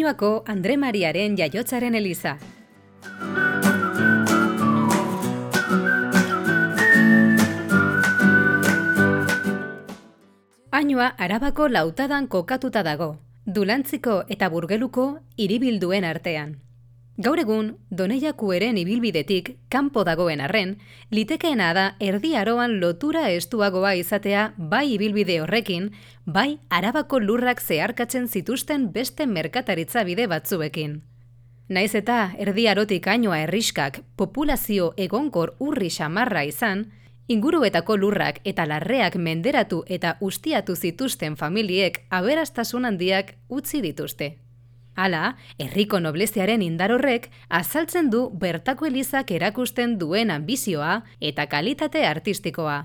Añuako Andre Mariaren jaiotzaren eliza. Añua Arabako Lautadan kokatuta dago, Dulantziko eta Burgeluko hiribilduen artean. Gaur egun, Doneiakueren ibilbidetik kanpo dagoen arren, litekeena da Erdi Aroan lotura estuagoa izatea bai ibilbide horrekin, bai Arabako lurrak zeharkatzen zituzten beste merkataritza bide batzuekin. Naiz eta Erdi Arotik Añua herrixkak populazio egonkor urri xamarra izan, inguruetako lurrak eta larreak menderatu eta ustiatu zituzten familiek aberastasun handiak utzi dituzte. Hala, herriko nobleziaren indar horrek azaltzen du bertako elizak erakusten duen anbizioa eta kalitate artistikoa.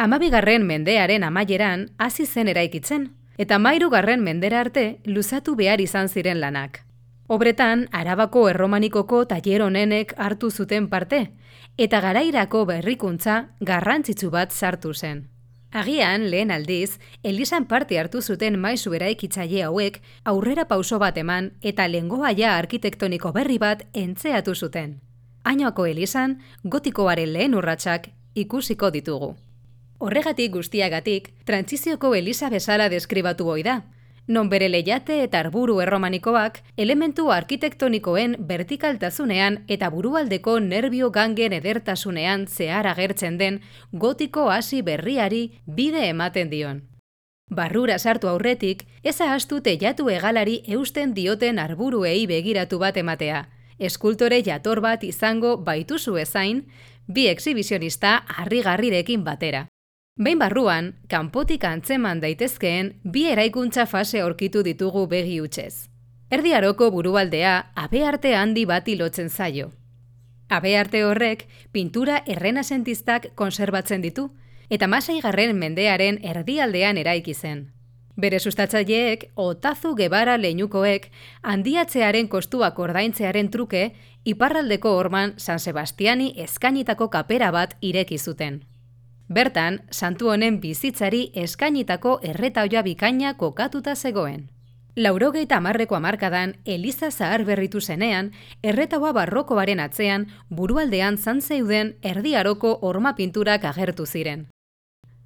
12. mendearen amaieran hasi zen eraikitzen, eta 13. mendera arte luzatu behar izan ziren lanak. Obretan, Arabako erromanikoko tailer honenek hartu zuten parte, eta garairako berrikuntza garrantzitsu bat sartu zen. Agian, lehen aldiz, elizan parte hartu zuten maisu eraikitzaile hauek aurrera pauso bat eman eta lengoaia arkitektoniko berri bat entzeatu zuten. Añuako elizan, gotikoaren lehen urratsak ikusiko ditugu. Horregatik guztiagatik, trantsizioko eliza bezala deskribatu ohi da, non bere leiate eta arburu erromanikoak elementu arkitektonikoen vertikaltasunean eta burualdeko nerbio gangen edertasunean zehar agertzen den gotiko hasi berriari bide ematen dion. Barrura sartu aurretik, ez ahaztu teilatu hegalari eusten dioten arburuei begiratu bat ematea, eskultore jator bat izango baituzu ezain, bi exhibizionista harrigarrirekin batera. Behin barruan, kanpotik antzeman daitezkeen bi eraikuntza fase aurkitu ditugu begi hutsez. Erdi Aroko burualdea habearte handi bati lotzen zaio. Habearte horrek pintura errenazentistak konserbatzen ditu, eta 16. mendearen erdialdean eraiki zen. Bere sustatzaileek, Otazu Gebara leinukoek, handiatzearen kostuak ordaintzearen truke, iparraldeko horman San Sebastiani eskainitako kapera bat ireki zuten. Bertan, santu honen bizitzari eskainitako erretaoia bikaina kokatuta zegoen. 80ko hamarkadan, eliza zahar berritu zenean, erretaua barrokoaren atzean, burualdean zeuden Erdi Aroko horma pinturak agertu ziren.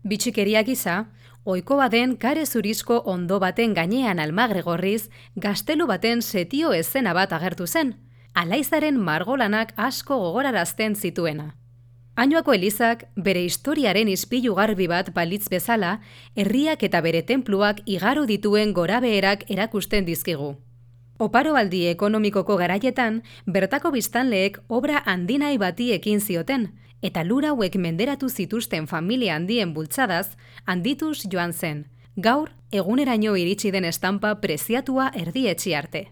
Bitxikeria gisa, ohikoa den kare zurizko ondo baten gainean almagre gorriz, gaztelu baten setio eszena bat agertu zen, alaizaren margolanak asko gogorarazten zituena. Añuako elizak bere historiaren ispilu garbi bat balitz bezala, herriak eta bere tenpluak igaro dituen gorabeherak erakusten dizkigu. Oparoaldi ekonomikoko garaietan, bertako biztanleek obra handinai bati ekin zioten, eta lur hauek menderatu zituzten familia handien bultzadaz, handituz joan zen, gaur eguneraino iritsi den estampa preziatua erdietsi arte.